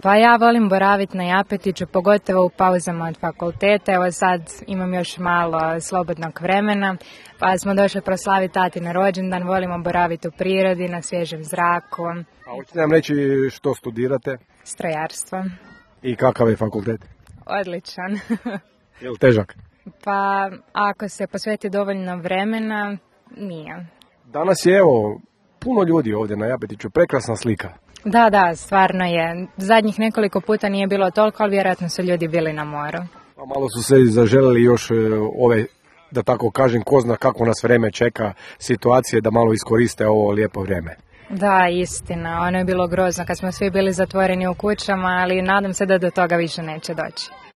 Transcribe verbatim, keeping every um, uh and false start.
Pa ja volim boraviti na Japetiću, pogotovo u pauzama od fakulteta. Evo sad imam još malo slobodnog vremena, pa smo došli proslaviti tatin rođendan. Volimo boraviti u prirodi, na svježem zraku. A hoćete nam reći što studirate? Strojarstvo. I kakav je fakultet? Odličan. Je li težak? Pa ako se posveti dovoljno vremena, nije. Danas je evo puno ljudi ovdje na Japetiću, prekrasna slika. Da, da, stvarno je. Zadnjih nekoliko puta nije bilo toliko, ali vjerojatno su ljudi bili na moru. A malo su se zaželjeli još e, ove, da tako kažem, ko zna kako nas vreme čeka, situacije da malo iskoriste ovo lijepo vrijeme. Da, istina. Ono je bilo grozno kad smo svi bili zatvoreni u kućama, ali nadam se da do toga više neće doći.